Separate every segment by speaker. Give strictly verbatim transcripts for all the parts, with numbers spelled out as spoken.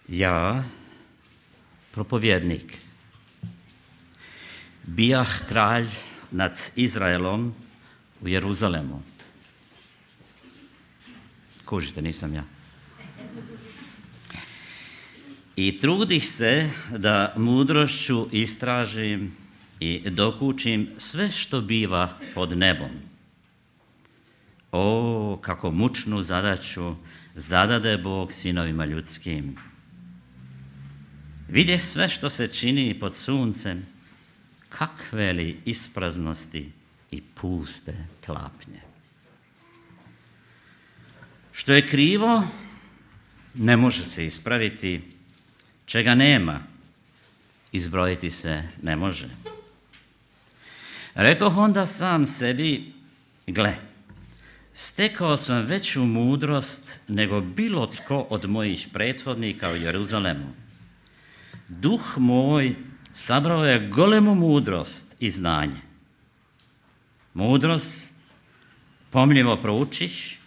Speaker 1: Ja, propovjednik, bijah kralj nad Izraelom u Jeruzalemu. Kužite, nisam ja. I trudih se da mudrošću istražim i dokučim sve što biva pod nebom. O, kako mučnu zadaću zadade Bog sinovima ljudskim. Vidjeh sve što se čini pod suncem, kakve li ispraznosti i puste tlapnje. Što je krivo, ne može se ispraviti, čega nema, izbrojiti se ne može. Rekoh onda sam sebi, gle, stekao sam veću mudrost nego bilo tko od mojih prethodnika u Jeruzalemu. Duh moj sabrao je golemu mudrost i znanje. Mudrost pomljivo proučiš,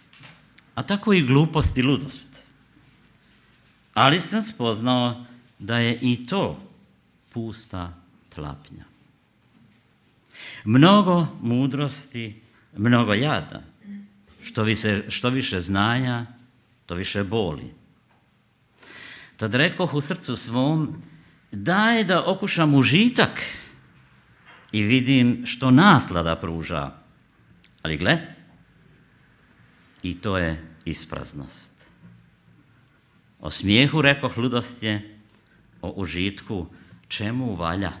Speaker 1: a tako i glupost i ludost. Ali sam spoznao da je i to pusta tlapnja. Mnogo mudrosti, mnogo jada. Što više, što više znanja, to više boli. Tad rekoh u srcu svom, daj da okušam užitak i vidim što naslada pruža. Ali gle, i to je ispraznost. O smijehu rekoh ludost je, o užitku čemu valja.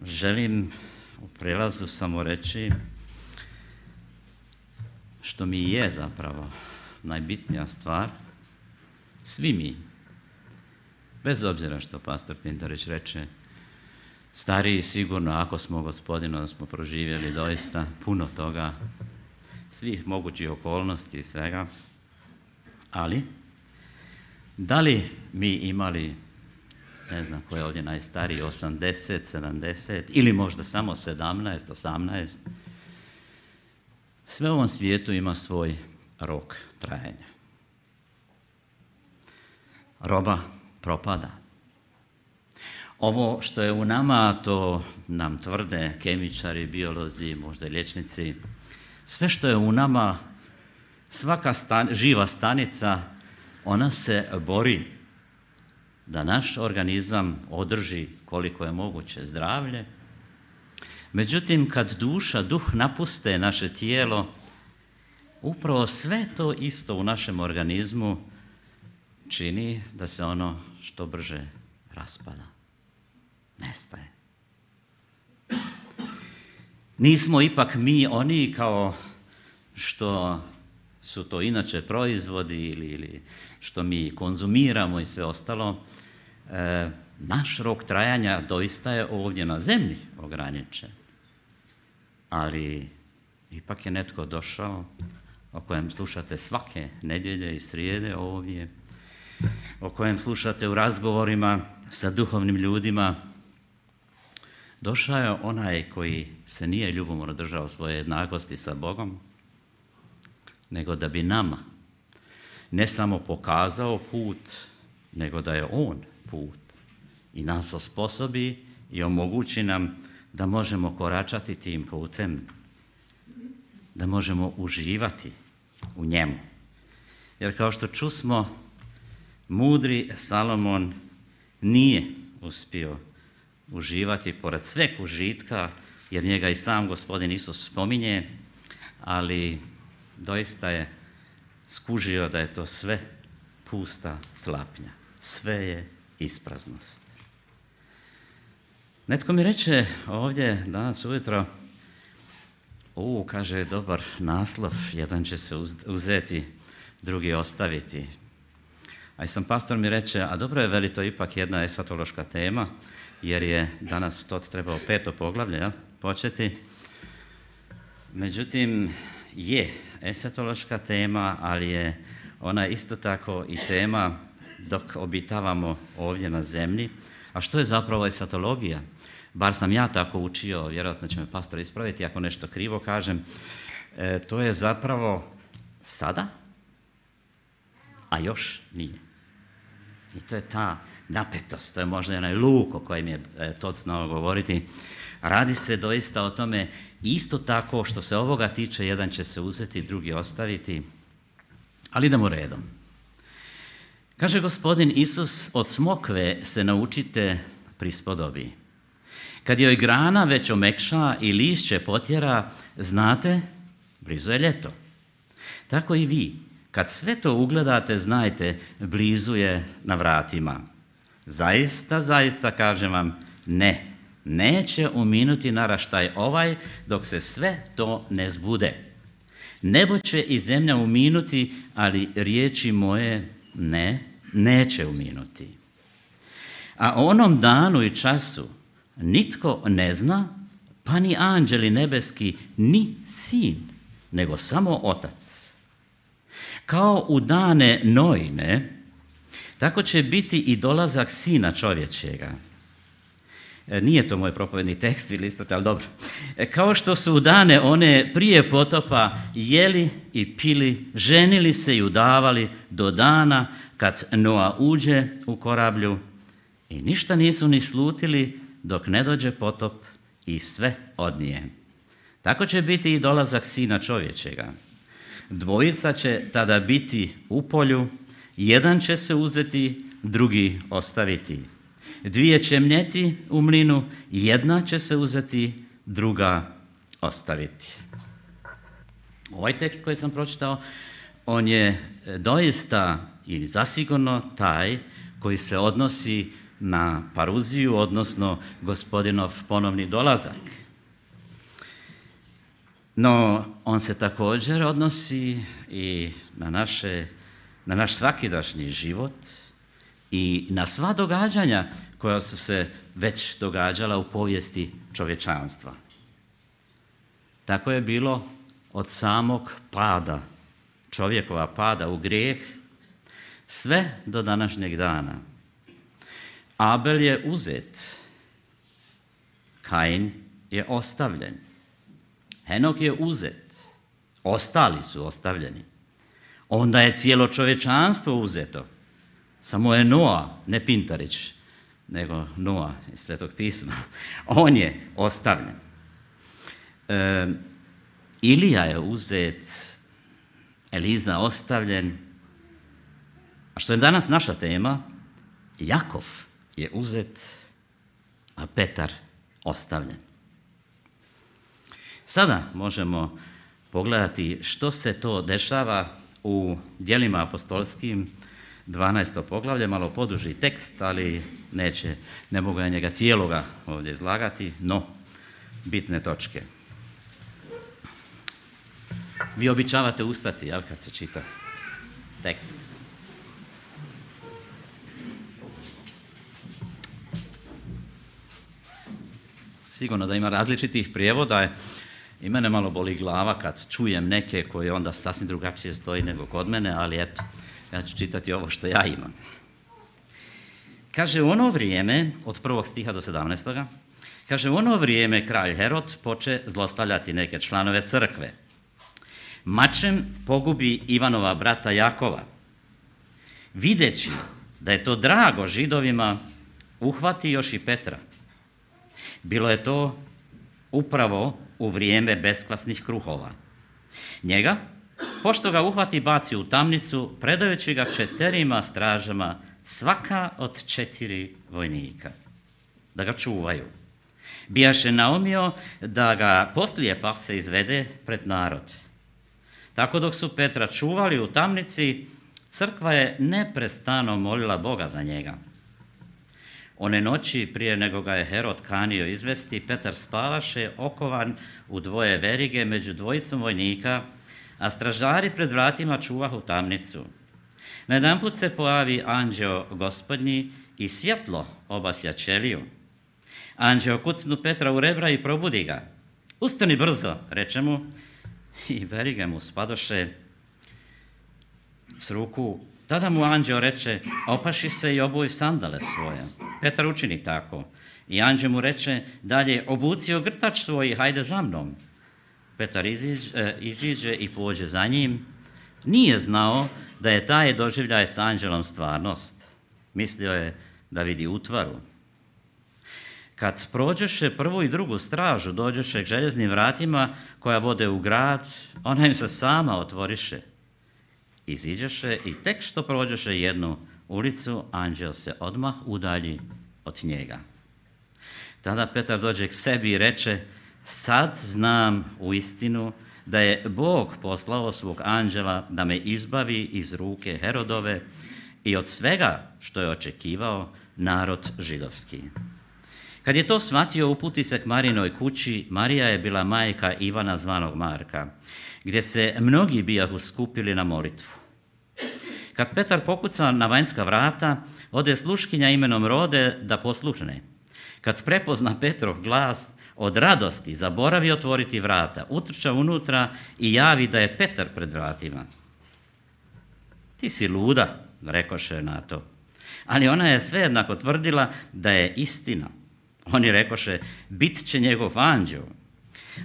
Speaker 1: Želim u prelazu samo reći što mi je zapravo najbitnija stvar. Svi mi, bez obzira što pastor Pintarić reče, stariji sigurno, ako smo Gospodinu, da smo proživjeli doista puno toga, svih mogućih okolnosti i svega, ali da li mi imali, ne znam ko je ovdje najstariji, osamdeset, sedamdeset ili možda samo sedamnaest, osamnaest, sve u ovom svijetu ima svoj rok trajanja. Roba propada. Ovo što je u nama, to nam tvrde kemičari, biolozi, možda i liječnici, sve što je u nama, svaka stan, živa stanica, ona se bori da naš organizam održi koliko je moguće zdravlje. Međutim, kad duša, duh napuste naše tijelo, upravo sve to isto u našem organizmu čini da se ono što brže raspada, nestaje. Nismo ipak mi oni kao što su to inače proizvodi ili, ili što mi konzumiramo i sve ostalo. E, naš rok trajanja doista je ovdje na zemlji ograničen. Ali ipak je netko došao o kojem slušate svake nedjelje i srijede ovdje, o kojem slušate u razgovorima sa duhovnim ljudima. Došao je onaj koji se nije ljubomorno držao svoje jednakosti sa Bogom, nego da bi nama ne samo pokazao put, nego da je on put i nas osposobi i omogući nam da možemo koračati tim putem, da možemo uživati u njemu. Jer kao što čusmo, mudri Salomon nije uspio uživati pored sveg užitka, jer njega i sam Gospodin Isus spominje, ali doista je skužio da je to sve pusta tlapnja. Sve je ispraznost. Netko mi reče ovdje danas ujutro, u, kaže, dobar naslov, jedan će se uzeti, drugi ostaviti. A i sam pastor mi reče, a dobro je, veli, to ipak jedna esatološka tema, jer je danas to trebao peto poglavlje, ja, početi. Međutim, je esatološka tema, ali je ona isto tako i tema dok obitavamo ovdje na zemlji. A što je zapravo esatologija? Bar sam ja tako učio, vjerojatno će me pastor ispraviti ako nešto krivo kažem. e, to je zapravo sada, a još nije. I to je ta napetost, to je možda onaj luk o kojem je e, Todd znao govoriti. Radi se doista o tome isto tako što se ovoga tiče, jedan će se uzeti, drugi ostaviti, ali idemo redom. Kaže gospodin Isus, od smokve se naučite prispodobi. Kad joj grana već omekša i lišće potjera, znate, blizu je ljeto. Tako i vi, kad sve to ugledate, znajte, blizu je na vratima. Zaista, zaista, kažem vam, ne, neće uminuti naraštaj ovaj dok se sve to ne zbude. Nebo će i zemlja uminuti, ali riječi moje ne, neće uminuti. A onom danu i času nitko ne zna, pa ni anđeli nebeski, ni sin, nego samo otac. Kao u dane Noine, tako će biti i dolazak sina čovječega. Nije to moj propovedni tekst, vi listate, ali dobro. Kao što su u dane one prije potopa jeli i pili, ženili se i udavali do dana kad Noa uđe u korablju i ništa nisu ni slutili dok ne dođe potop i sve odnije. Tako će biti i dolazak sina čovječega. Dvojica će tada biti u polju, jedan će se uzeti, drugi ostaviti. Dvije će mnjeti u mlinu, jedna će se uzeti, druga ostaviti. Ovaj tekst koji sam pročitao, on je doista i zasigurno taj koji se odnosi na paruziju, odnosno gospodinov ponovni dolazak. No, on se također odnosi i na, naše, na naš svakidašnji život i na sva događanja koja su se već događala u povijesti čovječanstva. Tako je bilo od samog pada, čovjekova pada u grijeh, sve do današnjeg dana. Abel je uzet, Kain je ostavljen, Henok je uzet, ostali su ostavljeni. Onda je cijelo čovječanstvo uzeto. Samo je Noa, ne Pintarić, nego Noa iz Svetog pisma. On je ostavljen. E, Ilija je uzet, Eliza ostavljen. A što je danas naša tema, Jakov je uzet, a Petar ostavljen. Sada možemo pogledati što se to dešava u djelima apostolskim, dvanaesto poglavlje, malo poduži tekst, ali neće, ne mogu ja njega cijeloga ovdje izlagati, no bitne točke. Vi običavate ustati, jel, kad se čita tekst. Sigurno da ima različitih prijevoda i mene malo boli glava kad čujem neke koje onda sasvim drugačije stoji nego kod mene, ali eto, ja ću čitati ovo što ja imam. Kaže, u ono vrijeme, od prvog stiha do sedamnaestoga, kaže, u ono vrijeme kralj Herod poče zlostavljati neke članove crkve. Mačem pogubi Ivanova brata Jakova. Videći da je to drago Židovima, uhvati još i Petra. Bilo je to upravo u vrijeme beskvasnih kruhova. Njega, pošto ga uhvati, baci u tamnicu, predajući ga četirima stražama, svaka od četiri vojnika, da ga čuvaju. Bijaše naumio da ga poslije pak se izvede pred narod. Tako dok su Petra čuvali u tamnici, crkva je neprestano molila Boga za njega. One noći, prije nego ga je Herod kanio izvesti, Petar spavaše okovan u dvoje verige među dvojicom vojnika, a stražari pred vratima čuvahu tamnicu. Najedanput se pojavi anđeo gospodnji i svjetlo obasja ćeliju. Anđeo kucnu Petra u rebra i probudi ga. Ustani brzo, reče mu, i verige mu spadoše s ruku. Tada mu anđeo reče, opaši se i obuj sandale svoje. Petar učini tako. I anđeo mu reče, dalje, obuci ogrtač svoj i hajde za mnom. Petar iziđe, iziđe i pođe za njim, nije znao da je taj doživljaj s anđelom stvarnost. Mislio je da vidi utvaru. Kad prođeše prvu i drugu stražu, dođeše k željeznim vratima koja vode u grad, ona im se sama otvoriše. Iziđeše i tek što prođeše jednu ulicu, anđel se odmah udalji od njega. Tada Petar dođe k sebi i reče, sad znam u istinu da je Bog poslao svog anđela da me izbavi iz ruke Herodove i od svega što je očekivao narod židovski. Kad je to shvatio, uputi se k Marinoj kući. Marija je bila majka Ivana zvanog Marka, gdje se mnogi bijahu skupili na molitvu. Kad Petar pokuca na vanjska vrata, ode sluškinja imenom Rode da posluhne. Kad prepozna Petrov glas, od radosti zaboravi otvoriti vrata, utrča unutra i javi da je Petar pred vratima. Ti si luda, rekoše na to. Ali ona je svejednako tvrdila da je istina. Oni rekoše, bit će njegov anđeo.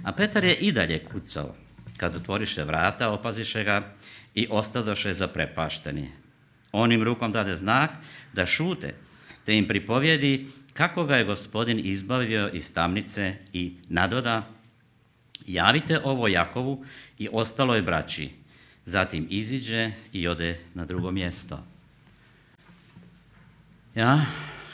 Speaker 1: A Petar je i dalje kucao. Kad otvoriše vrata, opaziše ga i ostadoše zaprepašteni. On im rukom dade znak da šute, te im pripovjedi kako ga je Gospodin izbavio iz tamnice i nadoda, javite ovo Jakovu i ostaloj braći. Zatim iziđe i ode na drugo mjesto. Ja,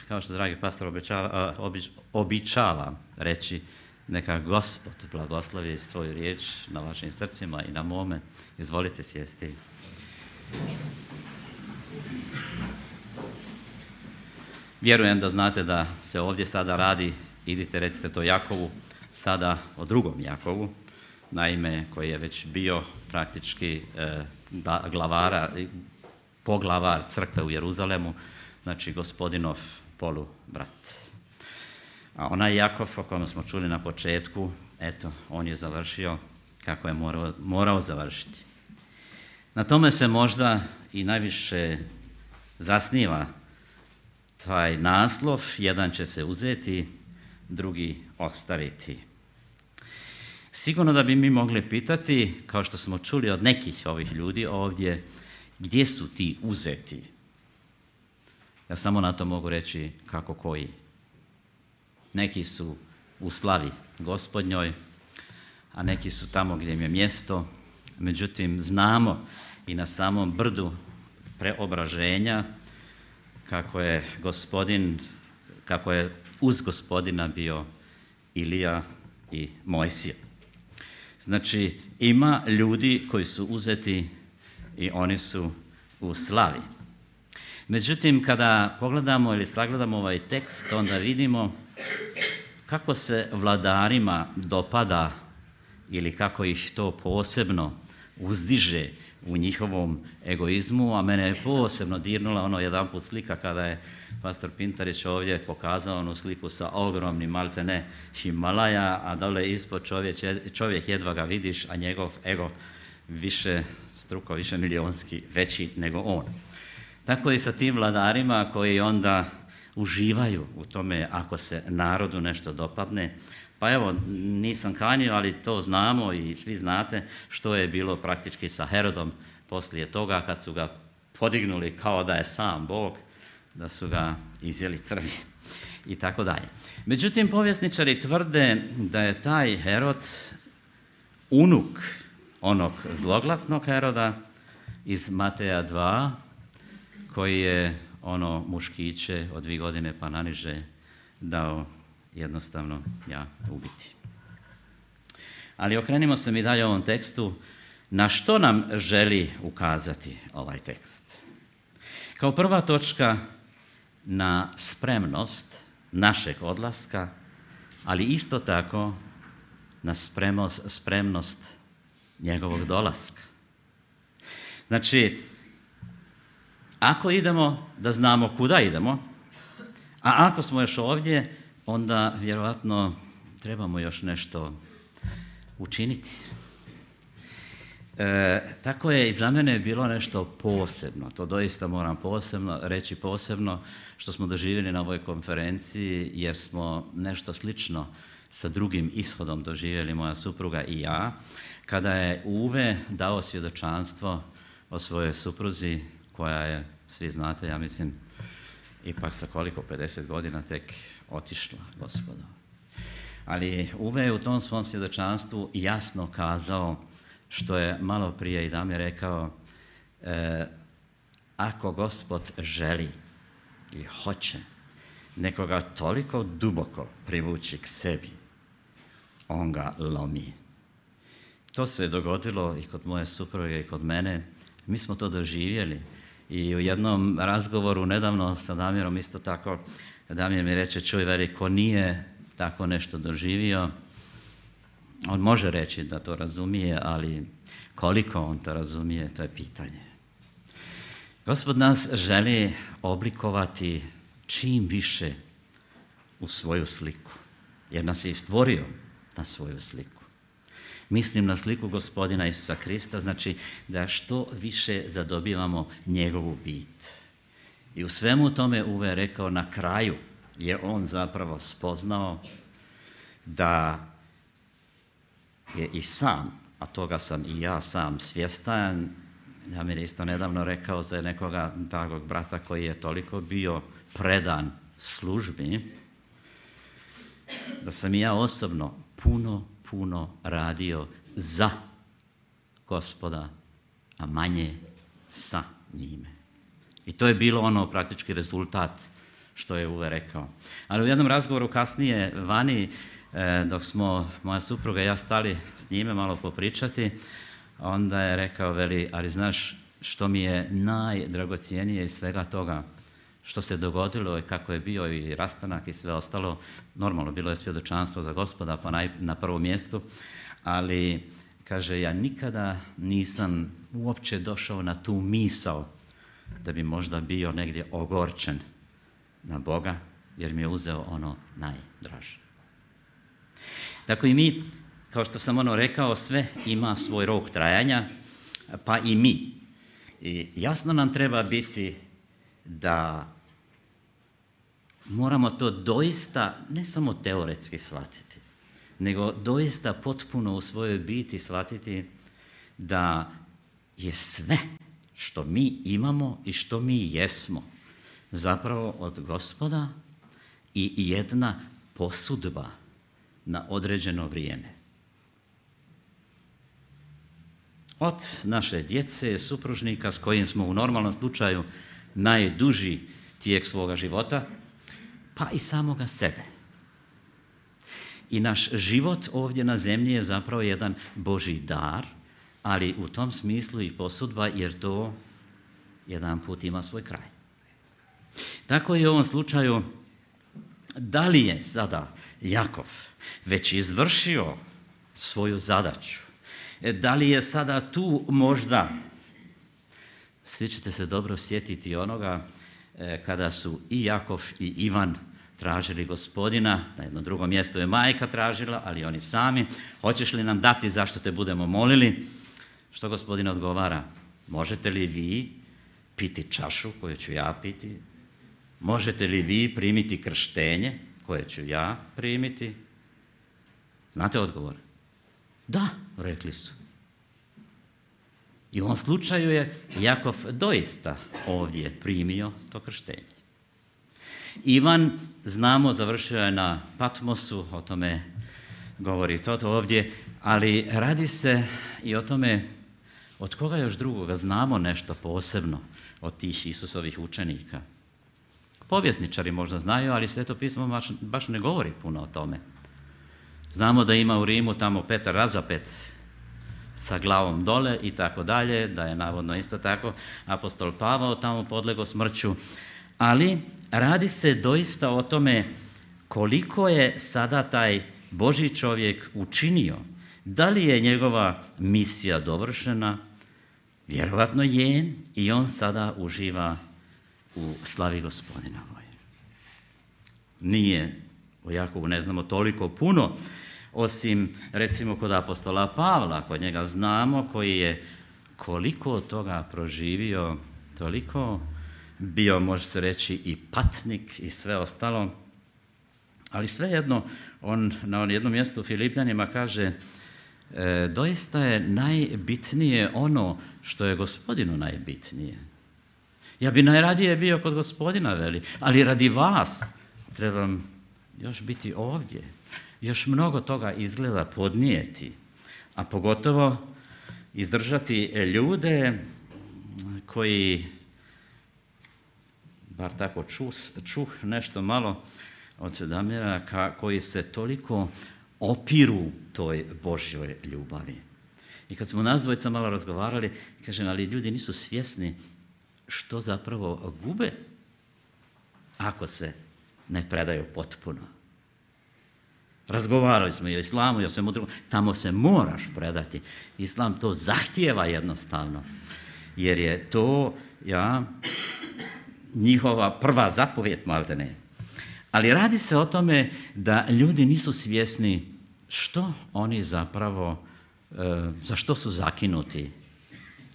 Speaker 1: kao što dragi pastor običava, obič, običava reći, neka Gospod blagoslovi svoju riječ na vašim srcima i na mome. Izvolite sjesti. Vjerujem da znate da se ovdje sada radi, idite recite to Jakovu, sada o drugom Jakovu, naime koji je već bio praktički eh, glavara, poglavar crkve u Jeruzalemu, znači Gospodinov polubrat. A onaj Jakov o kojem smo čuli na početku, eto, on je završio kako je morao, morao završiti. Na tome se možda i najviše zasniva taj naslov, jedan će se uzeti, drugi ostaviti. Sigurno da bi mi mogli pitati, kao što smo čuli od nekih ovih ljudi ovdje, gdje su ti uzeti? Ja samo na to mogu reći kako koji. Neki su u slavi Gospodnjoj, a neki su tamo gdje im je mjesto. Međutim, znamo i na samom brdu preobraženja kako je Gospodin, kako je uz Gospodina bio Ilija i Mojsije. Znači, ima ljudi koji su uzeti i oni su u slavi. Međutim, kada pogledamo ili sagledamo ovaj tekst, onda vidimo kako se vladarima dopada ili kako ih to posebno uzdiže u njihovom egoizmu, a mene je posebno dirnula ono jedanput slika kada je pastor Pintarić ovdje pokazao onu sliku sa ogromnim maltene Himalaja, a dole ispod čovjek, čovjek jedva ga vidiš, a njegov ego više struko, više milionski veći nego on. Tako i sa tim vladarima koji onda uživaju u tome ako se narodu nešto dopadne. Pa evo, nisam kanio, ali to znamo i svi znate što je bilo praktički sa Herodom poslije toga kad su ga podignuli kao da je sam Bog, da su ga izjeli crvi i tako dalje. Međutim, povjesničari tvrde da je taj Herod unuk onog zloglasnog Heroda iz Mateja dva, koji je ono muškiće od dvije godine pa naniže dao jednostavno ja ubiti. Ali okrenimo se mi dalje ovom tekstu. Na što nam želi ukazati ovaj tekst? Kao prva točka na spremnost našeg odlaska, ali isto tako na spremnost, spremnost njegovog dolaska. Znači, ako idemo, da znamo kuda idemo, a ako smo još ovdje, onda vjerojatno trebamo još nešto učiniti. E, tako je i za mene bilo nešto posebno, to doista moram posebno reći posebno, što smo doživjeli na ovoj konferenciji, jer smo nešto slično sa drugim ishodom doživjeli moja supruga i ja, kada je Uve dao svjedočanstvo o svojoj supruzi, koja je, svi znate, ja mislim, ipak sa koliko, pedeset godina tek otišla, Gospodo. Ali Uve je u tom svom svjedočanstvu jasno kazao, što je malo prije i Damir rekao, e, ako Gospod želi i hoće nekoga toliko duboko privući k sebi, on ga lomi. To se dogodilo i kod moje supruge i kod mene. Mi smo to doživjeli. I u jednom razgovoru nedavno sa Damirom isto tako, Damir mi reče, čuj, veri, ko nije tako nešto doživio, on može reći da to razumije, ali koliko on to razumije, to je pitanje. Gospod nas želi oblikovati čim više u svoju sliku, jer nas je i stvorio na svoju sliku. Mislim na sliku Gospodina Isusa Krista, znači da što više zadobivamo njegovu bit. I u svemu tome Uve je rekao, na kraju je on zapravo spoznao da je i sam, a toga sam i ja sam svjestan, ja mi je isto nedavno rekao za nekoga dragog brata koji je toliko bio predan službi, da sam i ja osobno puno, puno radio za Gospoda, a manje sa njime. I to je bilo ono praktički rezultat što je Uve rekao. Ali u jednom razgovoru kasnije vani, dok smo moja supruga i ja stali s njime malo popričati, onda je rekao, veli, ali znaš što mi je najdragocijenije iz svega toga što se dogodilo i kako je bio i rastanak i sve ostalo, normalno bilo je svjedočanstvo za Gospoda pa naj, na prvom mjestu, ali kaže, ja nikada nisam uopće došao na tu misao da bi možda bio negdje ogorčen na Boga, jer mi je uzeo ono najdraže. Tako i mi, kao što sam ono rekao, sve ima svoj rok trajanja, pa i mi. I jasno nam treba biti da moramo to doista, ne samo teoretski shvatiti, nego doista potpuno u svojoj biti shvatiti da je sve što mi imamo i što mi jesmo zapravo od Gospoda i jedna posudba na određeno vrijeme. Od naše djece, supružnika s kojim smo u normalnom slučaju najduži tijek svoga života, pa i samoga sebe. I naš život ovdje na zemlji je zapravo jedan Božji dar, ali u tom smislu i posudba, jer to jedan put ima svoj kraj. Tako i u ovom slučaju, da li je sada Jakov već izvršio svoju zadaću? Da li je sada tu možda, svi ćete se dobro sjetiti onoga kada su i Jakov i Ivan tražili Gospodina, na jednom drugom mjestu je majka tražila, ali oni sami, hoćeš li nam dati zašto te budemo molili? Što Gospodin odgovara? Možete li vi piti čašu koju ću ja piti? Možete li vi primiti krštenje koje ću ja primiti? Znate odgovor? Da, rekli su. I u ovom slučaju je Jakov doista ovdje primio to krštenje. Ivan, znamo, završio je na Patmosu, o tome govori Toto ovdje, ali radi se i o tome od koga još drugoga znamo nešto posebno od tih Isusovih učenika. Povjesničari možda znaju, ali Sveto pismo baš, baš ne govori puno o tome. Znamo da ima u Rimu tamo Petar razapet sa glavom dole i tako dalje, da je navodno isto tako apostol Pavao tamo podlegao smrću, ali radi se doista o tome koliko je sada taj Božji čovjek učinio. Da li je njegova misija dovršena? Vjerovatno je, i on sada uživa u slavi Gospodinovoj. Nije o Jakovu ne znamo toliko puno, osim recimo kod apostola Pavla, kod njega znamo, koji je koliko toga proživio, toliko bio, može se reći, i patnik i sve ostalo, Ali svejedno, on na jednom mjestu u Filipljanima kaže, e, doista je najbitnije ono što je Gospodinu najbitnije. Ja bi najradije bio kod Gospodina, veli, ali radi vas trebam još biti ovdje. Još mnogo toga izgleda podnijeti, a pogotovo izdržati ljude koji, bar tako čus, čuh nešto malo od Damira, koji se toliko opiru toj Božjoj ljubavi. I kad smo nas dvojica malo razgovarali, kažem, ali ljudi nisu svjesni što zapravo gube ako se ne predaju potpuno. Razgovarali smo i o islamu i o svemu drugom. Tamo se moraš predati. Islam to zahtijeva jednostavno. Jer je to ja, njihova prva zapovjed, maltene. Ali radi se o tome da ljudi nisu svjesni što oni zapravo, e, za što su zakinuti.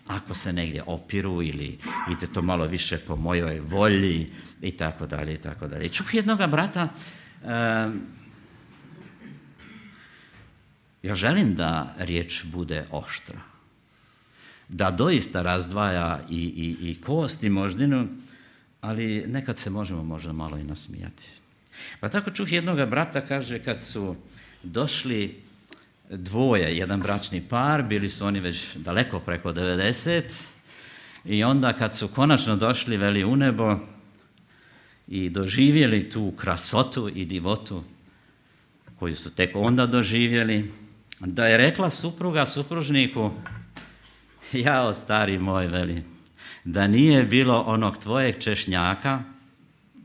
Speaker 1: Ako se negdje opiru ili ide to malo više po mojoj volji i tako dalje i tako dalje. I čuh jednoga brata, e, ja želim da riječ bude oštra, da doista razdvaja i, i, i kost i moždinu, ali nekad se možemo možda malo i nasmijati. Pa tako čuh jednoga brata, kaže, kad su došli dvoje, jedan bračni par, bili su oni već daleko preko devedeset, i onda kad su konačno došli, veli, u nebo i doživjeli tu krasotu i divotu koju su tek onda doživjeli, da je rekla supruga supružniku, jao stari moj, veli, da nije bilo onog tvojeg češnjaka,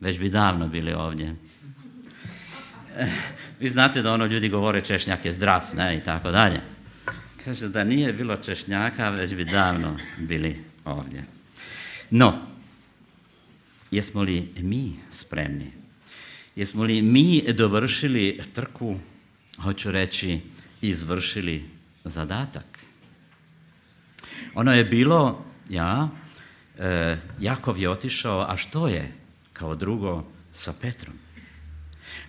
Speaker 1: već bi davno bili ovdje. Vi znate da ono ljudi govore češnjak je zdrav, ne, i tako dalje. Kaže, da nije bilo češnjaka, već bi davno bili ovdje. No, jesmo li mi spremni? Jesmo li mi dovršili trku, hoću reći, izvršili zadatak? Ono je bilo, ja, e, Jakov je otišao, a što je kao drugo sa Petrom?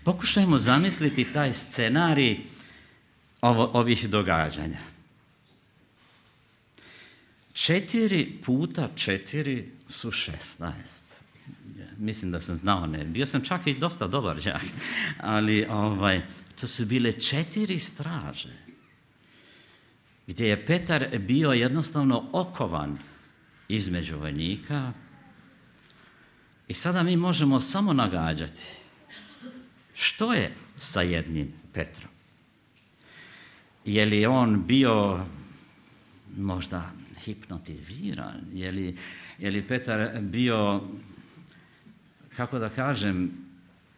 Speaker 1: Pokušajmo zamisliti taj scenarij ovo, ovih događanja. Četiri puta četiri su šesnaest. Mislim da sam znao, ne. Bio sam čak i dosta dobar đak, ali ovaj, to su bile četiri straže, gdje je Petar bio jednostavno okovan između vojnika i sada mi možemo samo nagađati što je sa jednim Petrom. Je li on bio možda hipnotiziran? Je li, je li Petar bio, kako da kažem,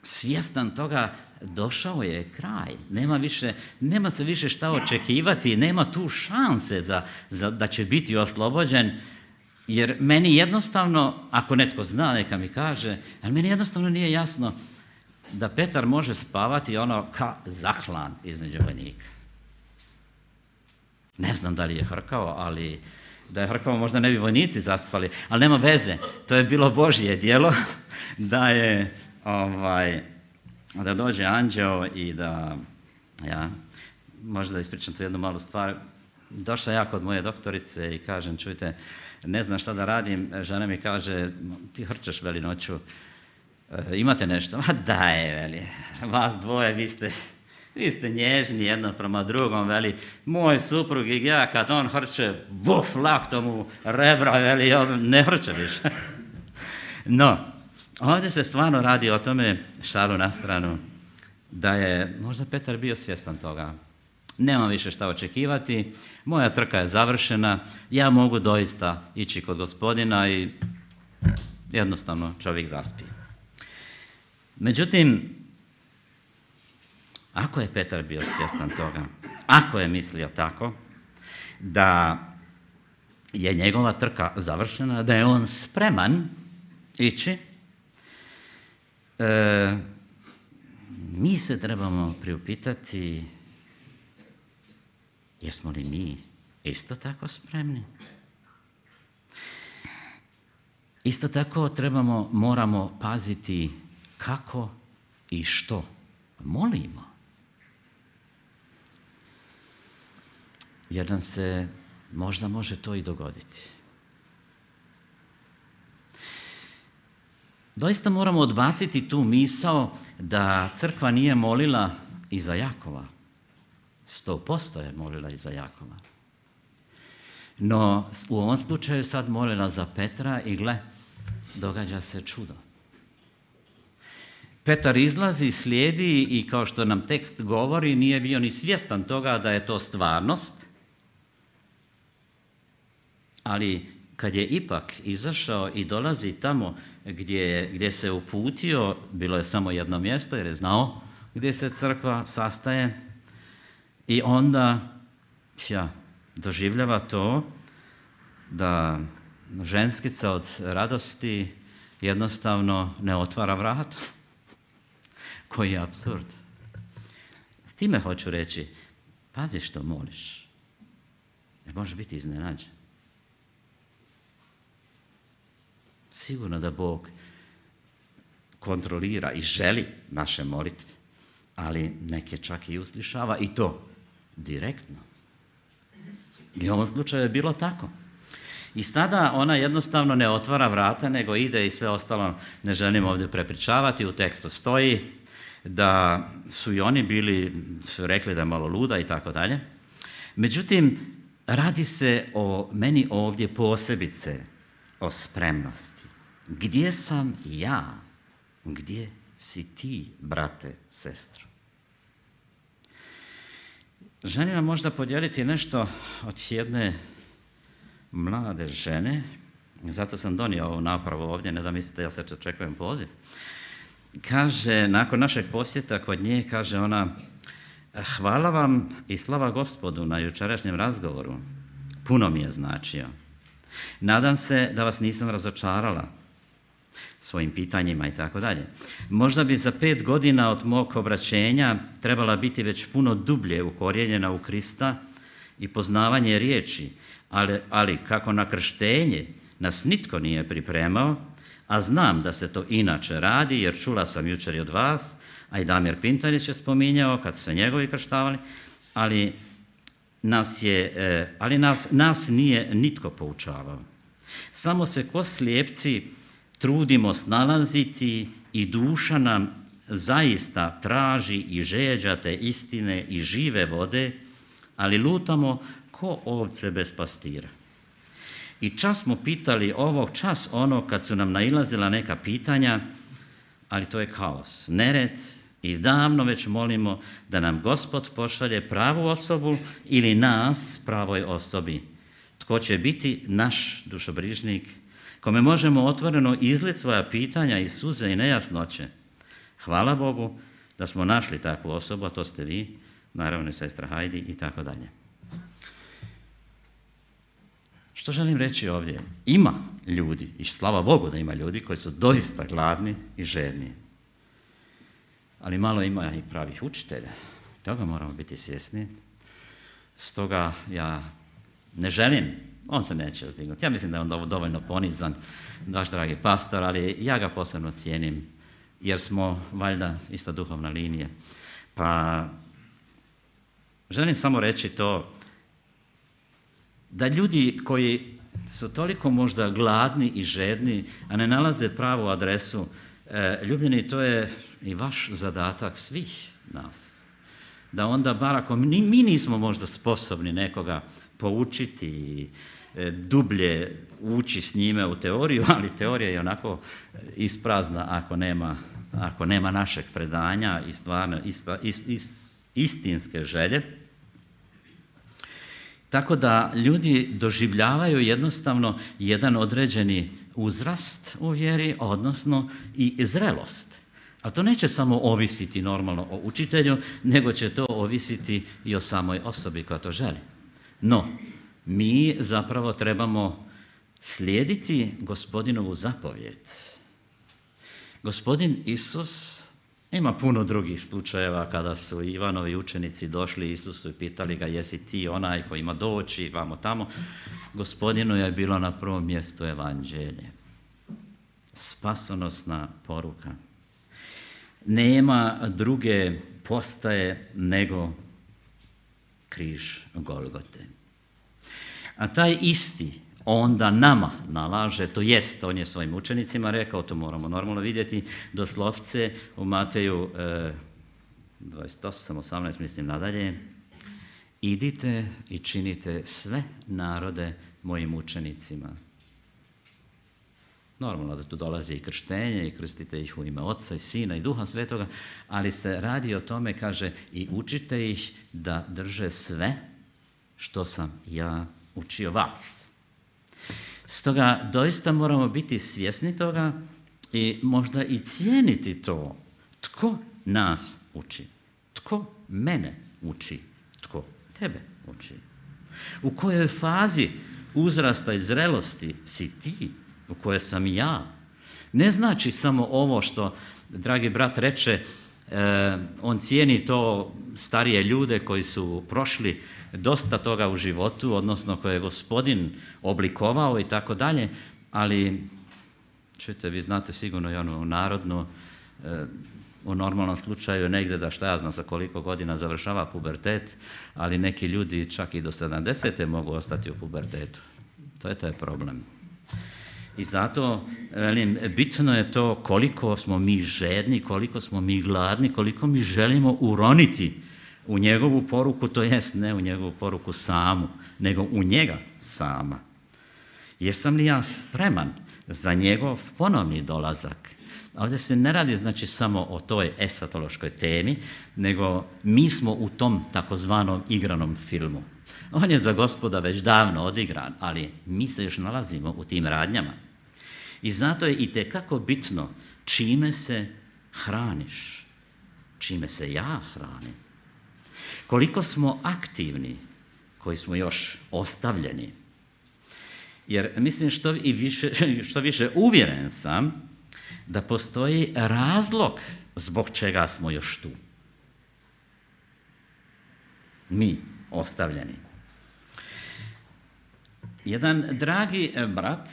Speaker 1: svjestan toga, došao je kraj. Nema, više, nema se više šta očekivati, nema tu šanse za, za, da će biti oslobođen, jer meni jednostavno, ako netko zna, neka mi kaže, ali meni jednostavno nije jasno da Petar može spavati ono ka zaklan između vojnika. Ne znam da li je hrkao, ali da je hrkao možda ne bi vojnici zaspali, ali nema veze, to je bilo Božje djelo da je ovaj, da dođe anđeo i da, ja, možda ispričam tu jednu malu stvar. Došla ja kod moje doktorice i kažem, čujte, ne znam šta da radim, žena mi kaže, ti hrčeš, veli, noću, e, imate nešto? Ma daj, veli, vas dvoje, vi ste, vi ste nježni jedno prema drugom, veli, moj suprug i ja, kad on hrče, buf, laktom u rebra, veli, on ne hrče više. No, ovdje se stvarno radi o tome, šalu na stranu, da je možda Petar bio svjestan toga. Nemam više šta očekivati, moja trka je završena, ja mogu doista ići kod Gospodina i jednostavno čovjek zaspi. Međutim, ako je Petar bio svjestan toga, ako je mislio tako, da je njegova trka završena, da je on spreman ići, e, mi se trebamo priupitati, jesmo li mi isto tako spremni? Isto tako trebamo, moramo paziti kako i što molimo. Jer nam se možda može to i dogoditi. Doista moramo odbaciti tu misao da crkva nije molila i za Jakova. Sto posto je molila i za Jakova. No, u ovom slučaju sad molila za Petra i gle, događa se čudo. Petar izlazi, slijedi i kao što nam tekst govori, nije bio ni svjestan toga da je to stvarnost, ali kad je ipak izašao i dolazi tamo gdje, gdje se uputio, bilo je samo jedno mjesto jer je znao gdje se crkva sastaje, i onda ja, doživljava to da ženskica od radosti jednostavno ne otvara vrata. Koji je apsurd. S time hoću reći, pazi što moliš, jer možeš biti iznenađen. Sigurno da Bog kontrolira i želi naše molitve, ali neke čak i uslišava, i to direktno. I u ovom slučaju je bilo tako. I sada ona jednostavno ne otvara vrata, nego ide i sve ostalo ne želim ovdje prepričavati. U tekstu stoji da su i oni bili, su rekli da je malo luda i tako dalje. Međutim, radi se o meni ovdje posebice o spremnosti. Gdje sam ja? Gdje si ti, brate, sestro? Želim vam možda podijeliti nešto od jedne mlade žene, zato sam donio ovu napravu ovdje, ne da mislite ja sad očekujem poziv. Kaže, nakon našeg posjeta kod nje, kaže ona, hvala vam i slava Gospodu na jučerašnjem razgovoru. Puno mi je značio. Nadam se da vas nisam razočarala svojim pitanjima i tako dalje. Možda bi za pet godina od mog obraćenja trebala biti već puno dublje ukorijenjena u Krista i poznavanje riječi, ali, ali kako na krštenje nas nitko nije pripremao, a znam da se to inače radi, jer čula sam jučer i od vas, a i Damir Pintarić je spominjao kad su se njegovi krštavali, ali nas, je, ali nas, nas nije nitko poučavao. Samo se ko slijepci trudimo snalaziti i duša nam zaista traži i žeđa te istine i žive vode, ali lutamo ko ovce bez pastira. I čas smo pitali ovog, čas ono kad su nam nailazila neka pitanja, ali to je kaos, nered, i davno već molimo da nam Gospod pošalje pravu osobu ili nas pravoj osobi. Tko će biti naš dušobrižnik, kome možemo otvoreno izliti svoja pitanja i suze i nejasnoće. Hvala Bogu da smo našli takvu osobu, a to ste vi, naravno i sestra Hajdi i tako dalje. Što želim reći ovdje? Ima ljudi, i slava Bogu da ima ljudi koji su doista gladni i žedni. Ali malo ima i pravih učitelja. Toga moramo biti svjesni. Stoga ja ne želim, on se neće uzdignuti. Ja mislim da je on dovoljno ponizan, vaš dragi pastor, ali ja ga posebno cijenim, jer smo valjda ista duhovna linija. Pa želim samo reći to, da ljudi koji su toliko možda gladni i žedni, a ne nalaze pravu adresu, e, ljubljeni, to je i vaš zadatak svih nas. Da onda, bar ako mi, mi nismo možda sposobni nekoga poučiti i e, dublje ući s njime u teoriju, ali teorija je onako isprazna ako nema, ako nema našeg predanja i stvarno ispa, is, is, istinske želje. Tako da ljudi doživljavaju jednostavno jedan određeni uzrast u vjeri, odnosno i zrelost. A to neće samo ovisiti normalno o učitelju, nego će to ovisiti i o samoj osobi koja to želi. No, mi zapravo trebamo slijediti Gospodinovu zapovijed. Gospodin Isus, ima puno drugih slučajeva kada su Ivanovi učenici došli Isusu i pitali ga, jesi ti onaj koji ima doći vamo tamo. Gospodinu je bilo na prvom mjestu evanđelje, spasonosna poruka. nema druge postaje nego križ Golgote. A taj isti onda nama nalaže, to jest, on je svojim učenicima rekao, to moramo normalno vidjeti, doslovce u Mateju eh, dvadeset osam, osamnaest mislim nadalje, idite i činite sve narode mojim učenicima. Normalno da tu dolazi i krštenje i krstite ih u ime Oca i Sina i Duha Svetoga, ali se radi o tome, kaže, i učite ih da drže sve što sam ja učio vas. Stoga doista moramo biti svjesni toga i možda i cijeniti to. Tko nas uči? Tko mene uči? Tko tebe uči? U kojoj fazi uzrasta i zrelosti si ti? U kojoj sam ja? Ne znači samo ovo što, dragi brat reče, eh, on cijeni to starije ljude koji su prošli dosta toga u životu, odnosno koje je Gospodin oblikovao i tako dalje, ali čujte, vi znate sigurno i onu narodnu, eh, u normalnom slučaju negdje da šta ja znam sa koliko godina završava pubertet, ali neki ljudi čak i do sedamdesete mogu ostati u pubertetu. To je taj problem. I zato, velim, bitno je to koliko smo mi žedni, koliko smo mi gladni, koliko mi želimo uroniti u njegovu poruku, to jest ne u njegovu poruku samu, nego u njega sama. Jesam li ja spreman za njegov ponovni dolazak? Ovdje se ne radi znači samo o toj esatološkoj temi, nego mi smo u tom takozvanom igranom filmu. On je za Gospoda već davno odigran, ali mi se još nalazimo u tim radnjama. I zato je itekako bitno čime se hraniš, čime se ja hranim. Koliko smo aktivni, koji smo još ostavljeni. Jer mislim što, i više, što više uvjeren sam da postoji razlog zbog čega smo još tu. Mi, ostavljeni. Jedan dragi brat,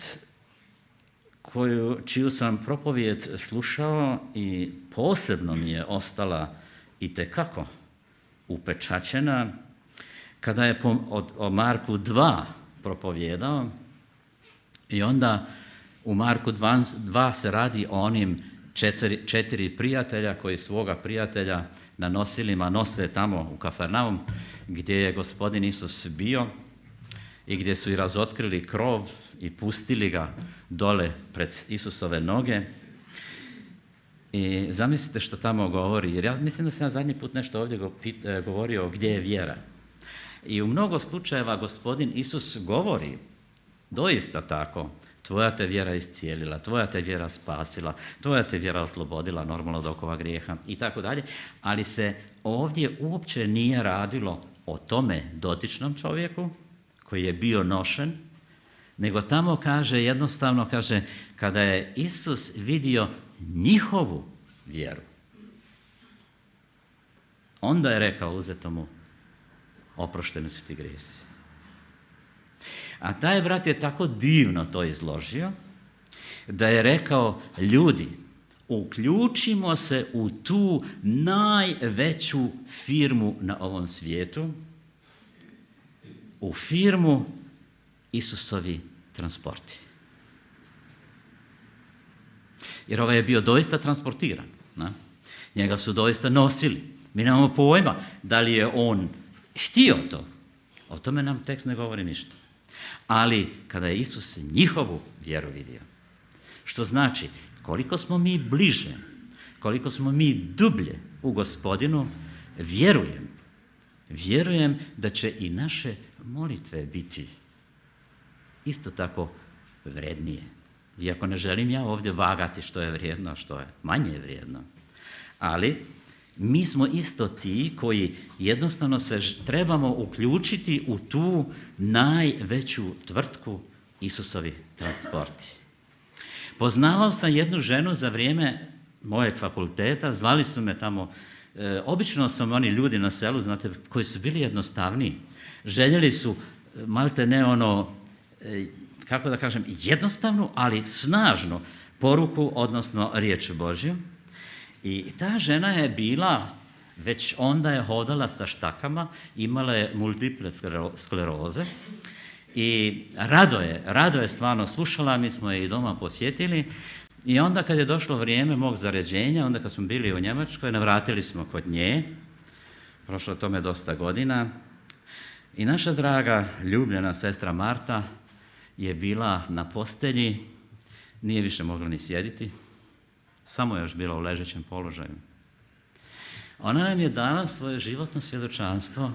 Speaker 1: koju, čiju sam propovijed slušao i posebno mi je ostala itekako upečaćena, kada je po, o, o Marku dva propovjedao i onda u Marku dva se radi o onim četiri, četiri prijatelja koji svoga prijatelja na nosilima nose tamo u Kafarnaum gdje je Gospodin Isus bio i gdje su i razotkrili krov i pustili ga dole pred Isusove noge. I zamislite što tamo govori, jer ja mislim da sam ja zadnji put nešto ovdje govorio gdje je vjera. I u mnogo slučajeva Gospodin Isus govori doista tako, tvoja te vjera iscijelila, tvoja te vjera spasila, tvoja te vjera oslobodila normalno od okova grijeha i tako dalje, ali se ovdje uopće nije radilo o tome dotičnom čovjeku koji je bio nošen, nego tamo kaže, jednostavno kaže, kada je Isus vidio njihovu vjeru, onda je rekao uzetomu, oprošteni su ti grijesi. A taj brat je tako divno to izložio, da je rekao, ljudi, uključimo se u tu najveću firmu na ovom svijetu, u firmu Isusovi transporti. Jer ovaj je bio doista transportiran. Na? Njega su doista nosili. Mi nemamo pojma da li je on htio to. O tome nam tekst ne govori ništa. Ali kada je Isus njihovu vjeru vidio, što znači koliko smo mi bliže, koliko smo mi dublje u Gospodinu, vjerujem, vjerujem da će i naše molitve biti isto tako vrednije. Iako ne želim ja ovdje vagati što je vrijedno, a što je manje vrijedno. Ali mi smo isto ti koji jednostavno se trebamo uključiti u tu najveću tvrtku Isusovi transporti. Poznavao sam jednu ženu za vrijeme mojeg fakulteta, zvali su me tamo, e, obično su oni ljudi na selu, znate, koji su bili jednostavniji. Željeli su, malte ne ono, e, kako da kažem, jednostavnu, ali snažnu poruku, odnosno riječ Božju. I ta žena je bila, već onda je hodala sa štakama, imala je multiple skleroze i rado je, rado je stvarno slušala, mi smo je i doma posjetili i onda kad je došlo vrijeme mog zaređenja, onda kad smo bili u Njemačkoj, navratili smo kod nje, prošlo tome dosta godina i naša draga, ljubljena sestra Marta je bila na postelji, nije više mogla ni sjediti, samo je još bila u ležećem položaju. Ona nam je dala svoje životno svjedočanstvo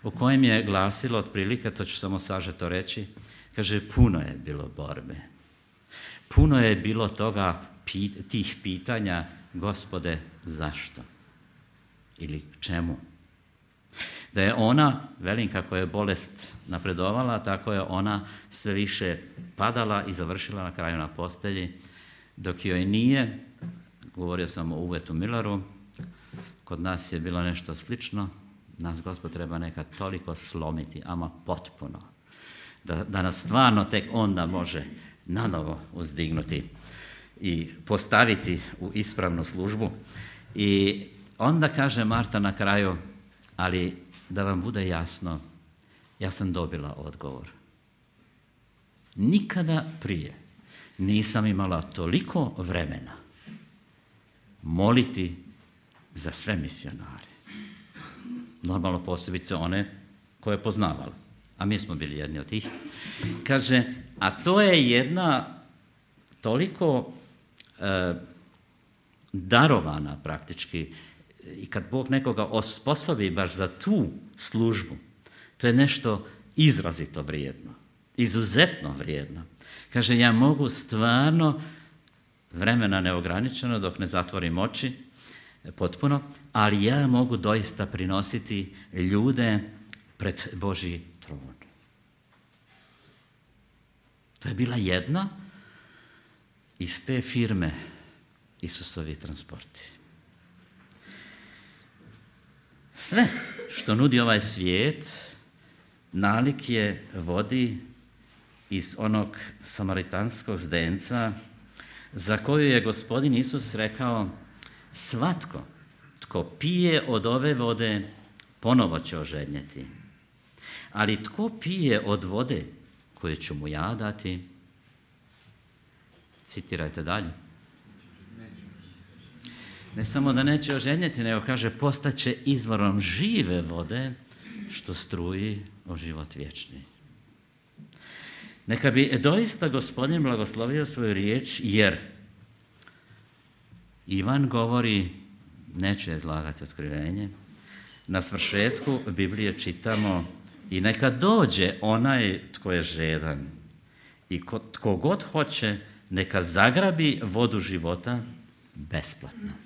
Speaker 1: u kojem je glasilo otprilike, to ću samo sažeto reći, kaže, puno je bilo borbe. Puno je bilo toga, tih pitanja, Gospode, zašto? Ili čemu? Da je ona, velim kako je bolest napredovala, tako je ona sve više padala i završila na kraju na postelji, dok joj nije, govorio sam o Uvetu Milaru, kod nas je bilo nešto slično, nas Gospod treba nekad toliko slomiti, ama potpuno, da, da nas stvarno tek onda može nanovo uzdignuti i postaviti u ispravnu službu. I onda kaže Marta na kraju, ali da vam bude jasno, ja sam dobila odgovor. Nikada prije nisam imala toliko vremena moliti za sve misionare. Normalno posebice one koje je poznavala, a mi smo bili jedni od tih. Kaže, a to je jedna toliko e, darovana praktički, i kad Bog nekoga osposobi baš za tu službu, to je nešto izrazito vrijedno, izuzetno vrijedno. Kaže, ja mogu stvarno, vremena neograničeno dok ne zatvorim oči, potpuno, ali ja mogu doista prinositi ljude pred Božji tron. To je bila jedna iz te firme Isusovi transporti. Sve što nudi ovaj svijet, nalik je vodi iz onog samaritanskog zdenca za koju je Gospodin Isus rekao, svatko tko pije od ove vode ponovo će ožednjeti, ali tko pije od vode koju ću mu ja dati, citirajte dalje, ne samo da neće ožednjeti, nego kaže postaće izvorom žive vode što struji o život vječni. Neka bi doista Gospodin blagoslovio svoju riječ, jer Ivan govori, neću izlagati otkrivenje, na svršetku Biblije čitamo i neka dođe onaj tko je žedan i ko, tko god hoće, neka zagrabi vodu života besplatno.